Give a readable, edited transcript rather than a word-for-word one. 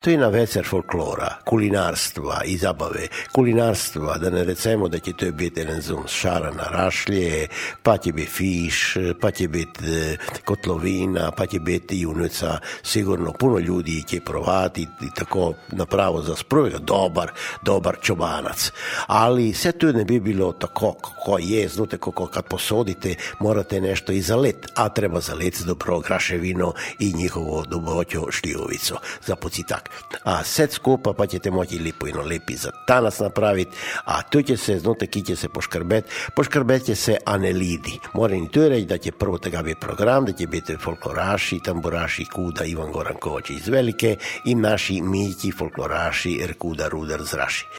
To je na vecer folklora, kulinarstva i zabave. Kulinarstva, da ne recimo da će to biti šara na rašlje, pa će biti fiš, pa će biti kotlovina, pa će biti junica. Sigurno puno ljudi će provati i tako napravo za sproj, dobar čobanac. Ali sve to ne bi bilo tako kako je, znate kako kad posodite morate nešto i zalet, a treba zalet dobro graševino i njihovo doboćo šljivovico za pocitak. A set skupa pa ćete moći lepi za tanas napraviti, a tu će se, znate, ki će se poškrbet će se Anelidi. Moram i tu reći da će prvo tega biti program, da će biti folkloraši, tamburaši Kuda Ivan Goran Kovač iz Velike i naši milji folkloraši Erkuda Rudar z Raši.